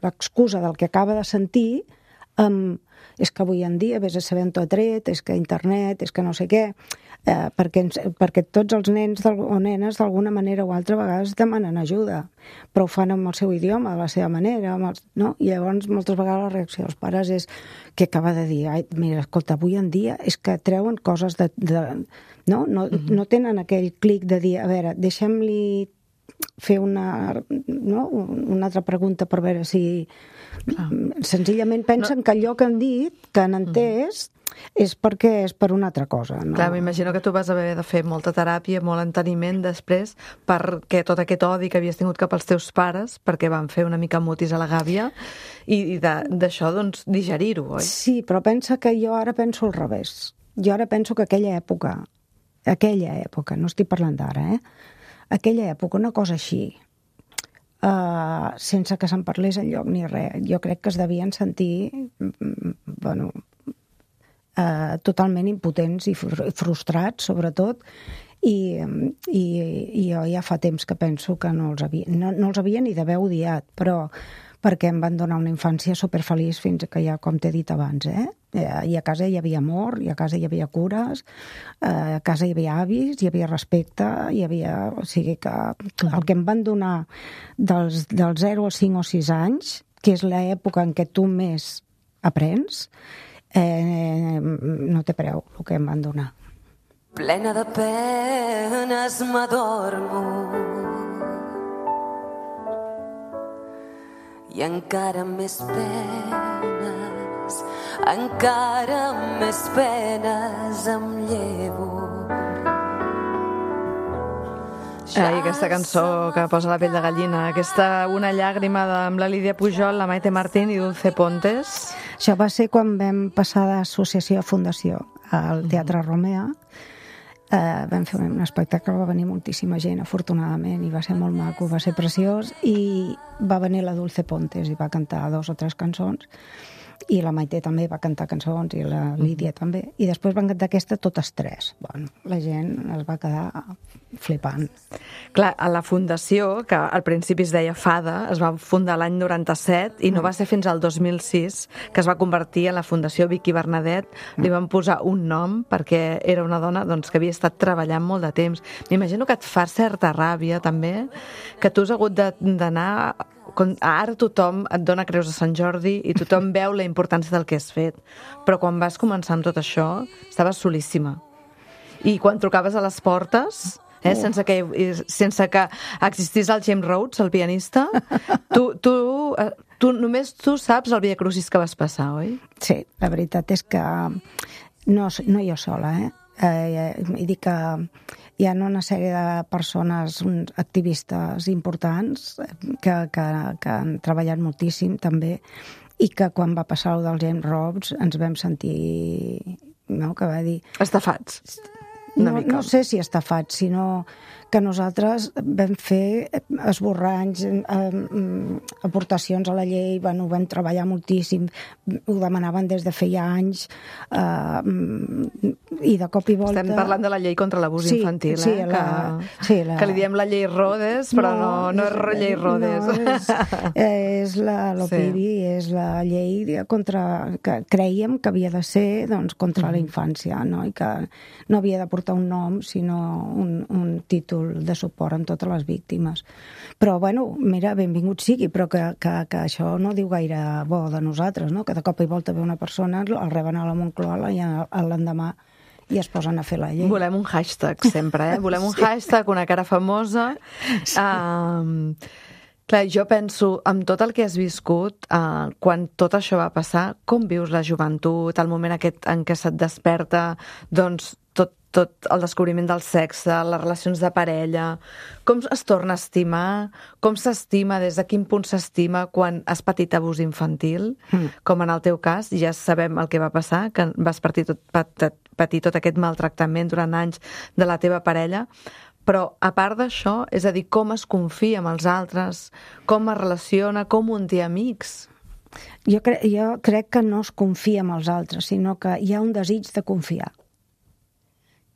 l'excusa del que acaba de sentir amb és que avui en dia vés a saber on t'ho ha tret, és que internet, és que no sé què, eh, perquè, ens, perquè tots els nens del, o nenes d'alguna manera o altra a vegades demanen ajuda, però ho fan amb el seu idioma, de la seva manera, amb els, no? I llavors moltes vegades la reacció dels pares és que acaba de dir, ai, mira, escolta, avui en dia és que treuen coses de... de no? No, mm-hmm. no tenen aquell clic de dir, a veure, deixem-li fer una, no? una altra pregunta per veure si... Clar. Senzillament pensen no. que allò que han dit, que han entès, mm. és perquè és per una altra cosa. No? Clar, m'imagino que tu vas haver de fer molta teràpia, molt enteniment després, perquè tot aquest odi que havies tingut cap als teus pares, perquè van fer una mica mutis a la gàbia, i, i d'això, doncs, digerir-ho, oi? Sí, però pensa que jo ara penso al revés. Jo ara penso que aquella època, aquella època, no estic parlant d'ara, eh? Aquella època, una cosa així, Uh, sense que se'n parlés enlloc ni res. Jo crec que es devien sentir bueno, uh, totalment impotents i frustrats, sobretot, i, i, i jo ja fa temps que penso que no els havia, no, no els havia ni d'haver odiat, però perquè em van donar una infància superfeliç fins que ja, com t'he dit abans, eh? I a casa hi havia amor, i a casa hi havia cures, a casa hi havia avis, hi havia respecte, hi havia... O sigui que el que em van donar dels, dels zero als cinc o sis anys, que és l'època en què tu més aprens, eh, no té preu el que em van donar. Plena de penes m'adormo i encara més penes, encara més penes em llevo. Ai, aquesta cançó que posa la pell de gallina, aquesta Una llàgrima de, amb la Lídia Pujol, la Maite Martín i Dulce Pontes. Això va ser quan vam passar d'associació a fundació al Teatre Romea. Uh, vam fer un espectacle, va venir moltíssima gent, afortunadament, i va ser molt maco, va ser preciós, i va venir la Dulce Pontes i va cantar dos o tres cançons, i la Maite també va cantar cançons, i la Lídia mm-hmm. també, i després van cantar aquesta totes tres. Bueno, la gent es va quedar flipant. Clar, a la fundació, que al principi es deia Fada, es va fundar l'any noranta-set i no va ser fins al dos mil sis que es va convertir en la Fundació Vicky Bernadet. Li van posar un nom perquè era una dona doncs, que havia estat treballant molt de temps. M'imagino que et fa certa ràbia també, que tu has hagut d'anar... Ara tothom et dona creus de Sant Jordi i tothom veu la importància del que has fet, però quan vas començar amb tot això estaves solíssima, i quan trucaves a les portes eh, oh. sense, que, sense que existís el James Rhodes, el pianista, tu, tu, tu només tu saps el Via Crucis que vas passar, oi? Sí, la veritat és que no, no jo sola, eh? Eh, i dic que hi ha una sèrie de persones, activistes importants que, que, que han treballat moltíssim també, i que quan va passar el del James Rhodes ens vam sentir, no?, que va dir... Estafats. Una no, mica. No sé si estafats, sinó que nosaltres vam fer esborranys, eh, aportacions a la llei, bueno, vam treballar moltíssim, ho demanaven des de feia anys, eh, i de cop i volta... Estem parlant de la llei contra l'abús sí, infantil, sí, eh? La, que, sí, la... que li diem la llei Rhodes, però no, no, no és, és llei Rhodes. No, és, és la l'OPIBI, sí. És la llei contra, que creiem que havia de ser doncs, contra mm. la infància, no? I que no havia de portar un nom, sinó un, un títol de suport amb totes les víctimes. Però, bueno, mira, benvingut sigui, però que, que, que això no diu gaire bo de nosaltres, no? Que de cop i volta ve una persona, el reben a la Moncloa i l'endemà i es posen a fer la llei. Volem un hashtag sempre, eh? Volem un sí. hashtag, una cara famosa. Sí. Um, clar, jo penso, amb tot el que has viscut, uh, quan tot això va passar, com vius la joventut, el moment aquest en què se't desperta, doncs, tot, tot el descobriment del sexe, les relacions de parella, com es torna a estimar, com s'estima, des de quin punt s'estima quan has patit abús infantil, mm. com en el teu cas, ja sabem el que va passar, que vas patir tot, patir tot aquest maltractament durant anys de la teva parella, però a part d'això, és a dir, com es confia amb els altres, com es relaciona, com un té amics? Jo, cre jo crec que no es confia amb els altres, sinó que hi ha un desig de confiar.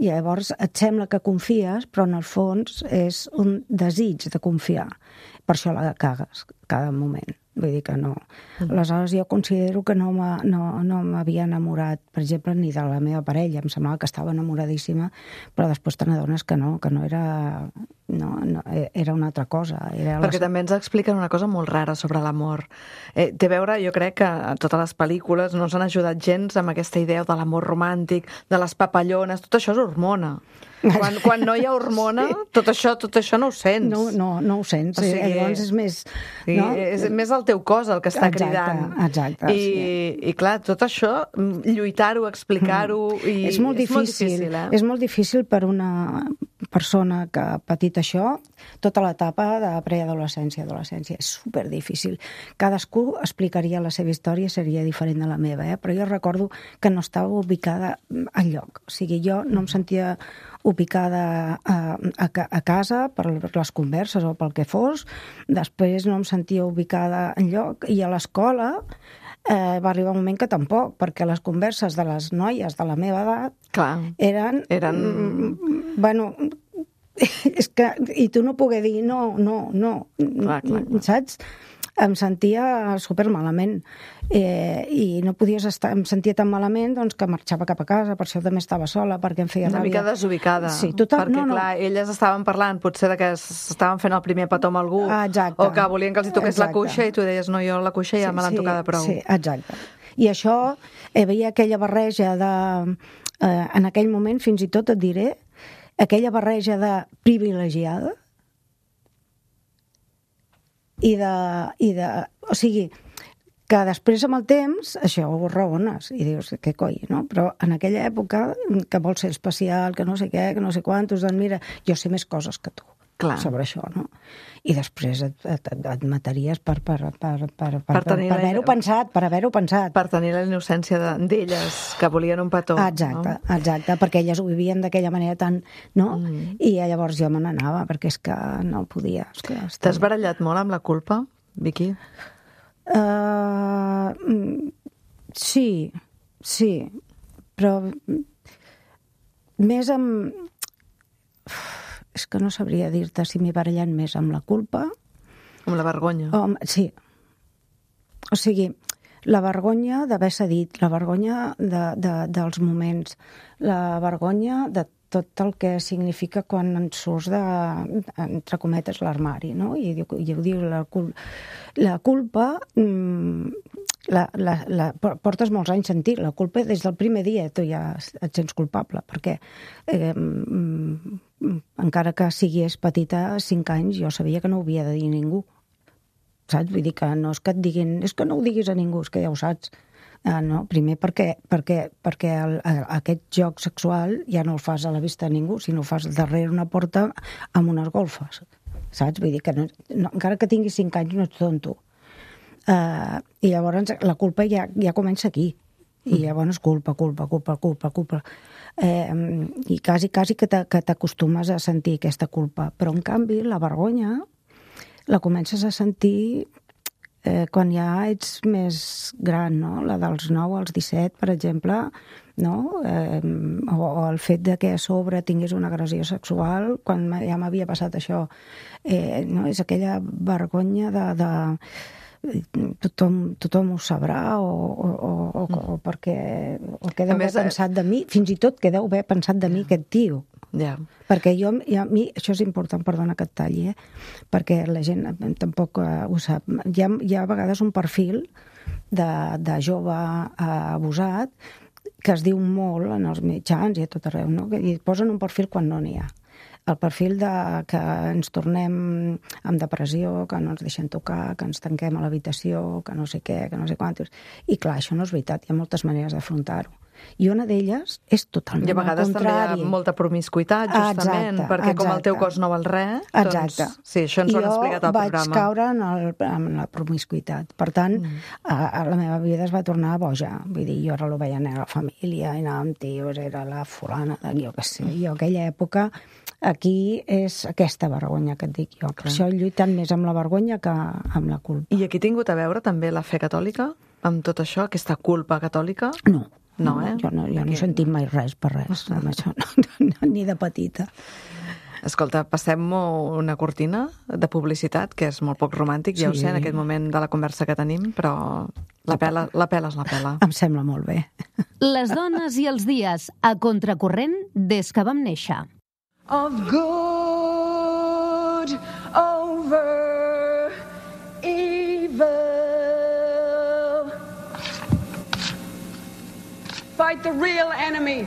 I llavors et sembla que confies, però en el fons és un desig de confiar. Per això la cagues cada moment. Vull dir que no. Aleshores jo considero que no m'ha- no, no m'havia enamorat, per exemple, ni de la meva parella. Em semblava que estava enamoradíssima, però després te n'adones que no, que no era... No, no, era una altra cosa. Era Perquè la... també ens expliquen una cosa molt rara sobre l'amor. Eh, té a veure, jo crec que a totes les pel·lícules no s'han ajudat gens amb aquesta idea de l'amor romàntic, de les papallones, tot això és hormona. Quan, quan no hi ha hormona, sí. tot, això, tot això no ho sents. No, no, no ho sents. O sigui, Llavors és més... Sí, no? és més el teu cos el que està Exacte, cridant. exacte, I, sí. I clar, tot això, lluitar-ho, explicar-ho... I és molt difícil, és molt difícil, eh? és molt difícil per una persona que ha patit això, tota l'etapa de preadolescència, adolescència. És superdifícil. Cadascú explicaria la seva història, seria diferent de la meva, eh? Però jo recordo que no estava ubicada enlloc. O sigui, jo no em sentia ubicada a, a, a casa per les converses o pel que fos. Després no em sentia ubicada enlloc. I a l'escola eh, va arribar un moment que tampoc, perquè les converses de les noies de la meva edat Clar. eren... Eren... Mm, bueno, és que... I tu no pogué dir no, no, no. Clar, clar, clar. Saps? Em sentia super malament eh, i no podies estar, em sentia tan malament doncs, que marxava cap a casa, per això també estava sola, perquè em feia Una ràbia. mica desubicada. Sí, total, perquè, no, no. clar, elles estaven parlant potser de que s'estaven fent el primer petó amb algú, Ah, exacte. o que volien que els hi toqués la Exacte. cuixa, i tu deies, no, jo la cuixa ja me l'han tocada prou. Sí, exacte. I això, eh, veia aquella barreja de... Eh, en aquell moment, fins i tot et diré, aquella barreja de privilegiada i de... I de o sigui, que després amb el temps això ho raones i dius, què coi, no? Però en aquella època, que vols ser especial, que no sé què, que no sé quantos, doncs mira, jo sé més coses que tu. Clar. Sobre això, no? I després et, et, et mataries per, per, per, per, per, per, Per tenir per la- haver-ho pensat, per haver-ho pensat. Per tenir la innocència de- d'elles, que volien un petó. Exacte, No? exacte, perquè elles ho vivien d'aquella manera tan... No? Mm. I llavors jo me n'anava, perquè és que no podia. És que estava... T'has barallat molt amb la culpa, Vicky? Uh, sí, sí, però més amb... És que no sabria dir-te si m'he barallat més amb la culpa Amb la vergonya. o amb... Sí. O sigui, la vergonya d'haver cedit, la vergonya de, de, dels moments, la vergonya de tot el que significa quan en surts de, entre cometes, l'armari, no? I jo, jo dic, la, cul la culpa mm, la, la, la, portes molts anys sentir la culpa des del primer dia, tu ja et sents culpable, perquè eh, mm, encara que sigués petita, cinc anys, jo sabia que no ho havia de dir a ningú, saps? Vull dir que no és que et diguin, és que no ho diguis a ningú, és que ja ho saps. Ah, no? Primer perquè, perquè, perquè el, el, aquest joc sexual ja no el fas a la vista de ningú, sinó el fas darrere una porta amb unes golfes, saps? Vull dir que no, no, encara que tinguis cinc anys no ets tonto. Uh, I llavors la culpa ja, ja comença aquí. I llavors culpa, culpa, culpa, culpa, culpa. Eh, I quasi, quasi que t'acostumes a sentir aquesta culpa. Però, en canvi, la vergonya la comences a sentir eh, quan ja ets més gran, no? La dels nou als disset, per exemple, no? Eh, o, o el fet de que a sobre tingués una agressió sexual, quan ja m'havia passat això. Eh, no? És aquella vergonya de... de tothom, tothom ho sabrà o, o, o, o perquè o què deu haver més, pensat de mi, fins i tot què deu haver pensat de mi aquest tio. Ja. Perquè jo, ja, a mi, això és important, perdona que et talli, eh? Perquè la gent tampoc uh, ho sap. Hi ha, hi ha a vegades un perfil de, de jove uh, abusat que es diu molt en els mitjans i a tot arreu, no? I posen un perfil quan no n'hi ha. El perfil de que ens tornem amb depressió, que no ens deixen tocar, que ens tanquem a l'habitació, que no sé què, que no sé quantos. I clar, això no és veritat, hi ha moltes maneres d'afrontar-ho. I una d'elles és totalment I a vegades al contrari. també hi ha molta promiscuïtat, justament, Exacte, perquè com el teu exacte. cos no val res, Exacte. doncs sí, això ens ho han explicat al jo vaig programa. caure en, el, en la promiscuïtat. Per tant, mm. a, a la meva vida es va tornar boja. Vull dir, jo ara lo veia anar a la família, i anava amb tios, era la fulana, de, jo què sé. Jo aquella època, aquí és aquesta vergonya que et dic jo. Per això he lluitat més amb la vergonya que amb la culpa. I aquí ha tingut a veure també la fe catòlica, amb tot això, aquesta culpa catòlica? No. No, eh? Jo no, jo no he sentit mai res per res, amb això, no, no, ni de petita. Escolta, passem una cortina de publicitat, que és molt poc romàntic, ja ho Sí. sé, en aquest moment de la conversa que tenim, però la pela, la pela és la pela. Em sembla molt bé. Les dones i els dies, a contracorrent des que vam néixer. Of good over evil. Fight the real enemy.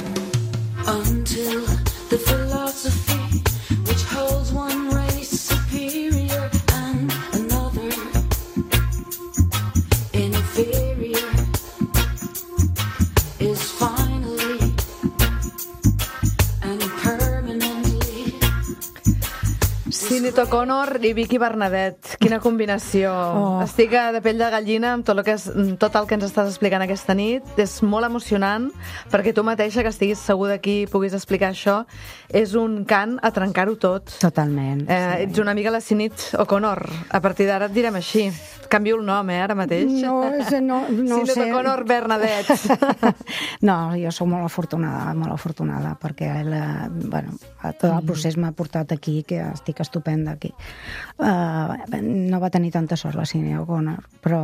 Until the philosophy which holds one race superior and another inferior is finally and permanently. Sinead O'Connor i Vicky Bernadette, quina combinació. Oh. Estic de pell de gallina amb tot el, que és, tot el que ens estàs explicant aquesta nit. És molt emocionant, perquè tu mateixa, que estiguis segur d'aquí i puguis explicar això, és un cant a trencar-ho tot. Totalment. Eh, sí. ets una amiga de la Sinead O'Connor. A partir d'ara et direm així. Canvio el nom, eh, ara mateix. No, és, no, no Sinead sé. O'Connor Bernadette. No, jo sóc molt afortunada, molt afortunada, perquè la, bueno, tot el procés m'ha portat aquí, que estic estupenda aquí. Uh, no va tenir tanta sort la Sinead O'Connor, però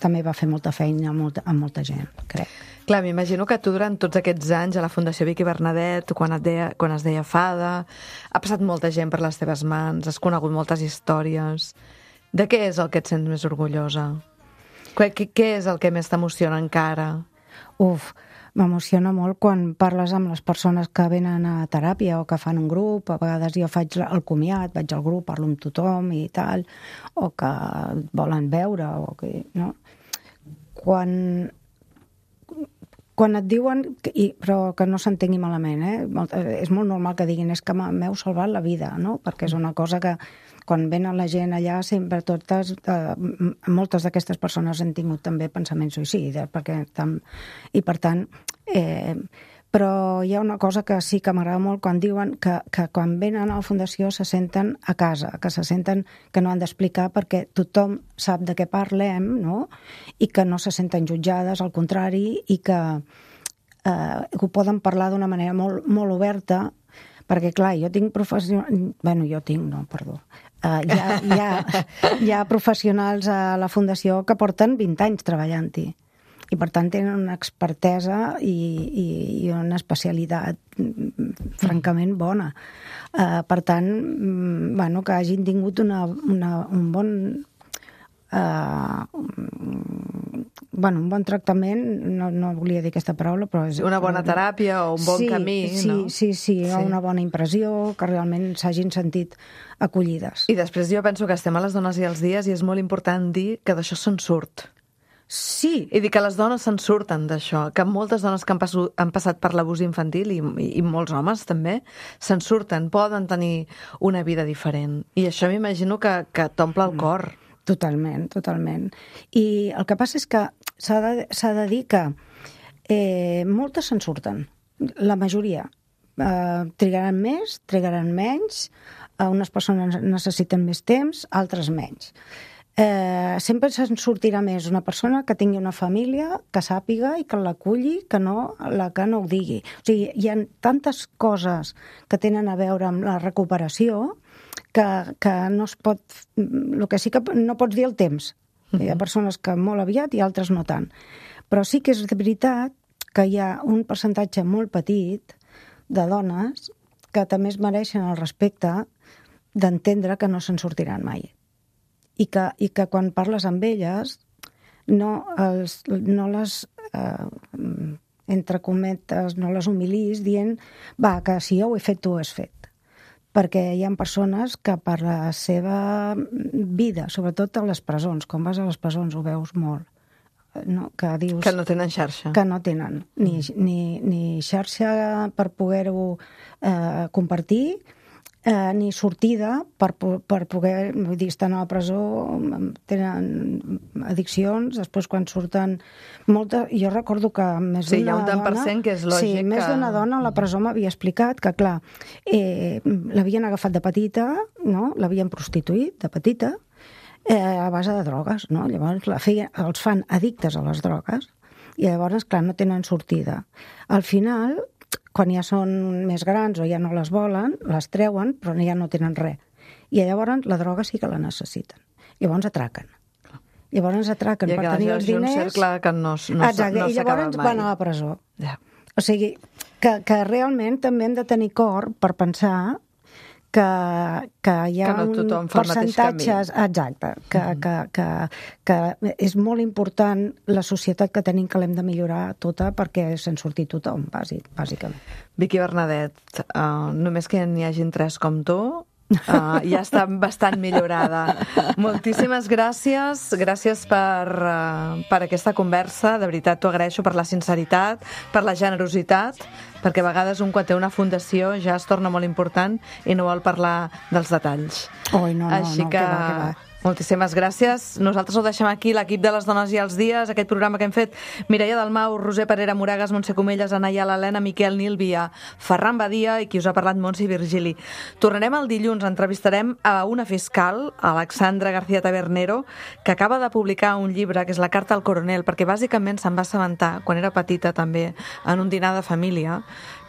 també va fer molta feina amb molta, amb molta gent, crec. Clar, m'imagino que tu durant tots aquests anys a la Fundació Vicky Bernadette, quan, et deia, quan es deia Fada, ha passat molta gent per les teves mans, has conegut moltes històries. De què és el que et sents més orgullosa? Què, què és el que més t'emociona encara? Uf, m'emociona molt quan parles amb les persones que venen a teràpia o que fan un grup. A vegades jo faig el comiat, vaig al grup, parlo amb tothom i tal, o que volen veure, o que, no? Quan, quan et diuen, i, però que no s'entengui malament, eh? Molt, és molt normal que diguin és que m'heu salvat la vida, no? Perquè és una cosa que quan venen la gent allà sempre totes, eh, moltes d'aquestes persones han tingut també pensaments suïcides, perquè tam, i per tant, eh, però hi ha una cosa que sí que m'agrada molt quan diuen que, que quan venen a la Fundació se senten a casa, que se senten que no han d'explicar perquè tothom sap de què parlem, no? I que no se senten jutjades, al contrari, i que, eh, que ho poden parlar d'una manera molt, molt oberta, perquè, clar, jo tinc professionals... Bueno, jo tinc, no, perdó. Uh, hi, ha, hi, ha, hi ha professionals a la Fundació que porten vint anys treballant-hi. I, per tant, tenen una expertesa i, i, i una especialitat francament bona. Uh, per tant, bueno, que hagin tingut una, una, un bon... Uh, bueno, un bon tractament, no, no volia dir aquesta paraula, però és... Una bona teràpia o un bon sí, camí, sí, no? Sí, sí, sí, Sí. una bona impressió, que realment s'hagin sentit acollides. I després jo penso que estem a les dones i els dies i és molt important dir que d'això se'n surt. Sí. I dir que les dones se'n surten d'això, que moltes dones que han, passu, han passat per l'abús infantil i, i, i molts homes també, se'n surten, poden tenir una vida diferent. I això m'imagino que, que t'omple el cor. Totalment, totalment. I el que passa és que s'ha de, s'ha de dir que eh, moltes se'n surten, la majoria. Eh, trigaran més, trigaran menys, eh, unes persones necessiten més temps, altres menys. Eh, sempre se'n sortirà més una persona que tingui una família, que sàpiga i que l'aculli, que no la que no ho digui. O sigui, hi ha tantes coses que tenen a veure amb la recuperació que, que no es pot... El que sí que no pots dir el temps. Hi ha persones que molt aviat i altres no tant. Però sí que és de veritat que hi ha un percentatge molt petit de dones que també es mereixen el respecte d'entendre que no se'n sortiran mai. I que, i que quan parles amb elles no, els, no les, eh, entre cometes, no les humilis dient va, que si jo ho he fet, tu ho has fet. Perquè hi ha persones que per la seva vida, sobretot a les presons, quan vas a les presons ho veus molt, no? Que dius... Que no tenen xarxa. Que no tenen ni, ni, ni xarxa per poder-ho eh, compartir, eh, ni sortida per, per poder, vull dir, estan a la presó, tenen addiccions, després quan surten molta... Jo recordo que més sí, d'una dona... Sí, hi ha un tant per cent que és lògic. Sí, més que... d'una dona a la presó m'havia explicat que, clar, eh, l'havien agafat de petita, no? L'havien prostituït de petita, eh, a base de drogues, no? Llavors la feia, els fan addictes a les drogues I llavors, clar, no tenen sortida. Al final, quan ja són més grans o ja no les volen, les treuen, però ja no tenen res. I llavors la droga sí que la necessiten. Llavors atraquen. Llavors atraquen I per tenir els diners... I un cercle que no, no, Exacte, no i s'acaba llavors mai. van a la presó. Ja. O sigui, que, que realment també hem de tenir cor per pensar que, que hi ha que no tothom fa el mateix percentatges... camí. Exacte, que, mm. que, que, que és molt important la societat que tenim, que l'hem de millorar tota perquè se'n surti tothom, bàsic, bàsicament. Vicky Bernadet, uh, només que n'hi hagin tres com tu, Uh, ja està bastant millorada. Moltíssimes gràcies, gràcies per, uh, per aquesta conversa, de veritat t'ho agraeixo, per la sinceritat, per la generositat, perquè a vegades un quan té una fundació ja es torna molt important i no vol parlar dels detalls. Oi, no, no, Així no, que... que va, que va. Moltíssimes gràcies. Nosaltres ho deixem aquí, l'equip de les dones i els dies, aquest programa que hem fet Mireia Dalmau, Roser Parera Moragas, Montse Comelles, Anaya L'Helena, Miquel Nílvia, Ferran Badia i qui us ha parlat, Montse Virgili. Tornarem el dilluns, entrevistarem a una fiscal, Alexandra García Tabernero, que acaba de publicar un llibre que és La carta al coronel, perquè bàsicament se'n va assabentar, quan era petita també, en un dinar de família,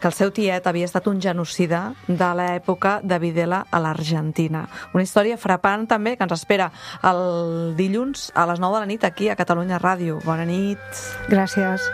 que el seu tiet havia estat un genocida de l'època de Videla a l'Argentina. Una història frapant també que ens espera el dilluns a les nou de la nit aquí a Catalunya Ràdio. Bona nit. Gràcies.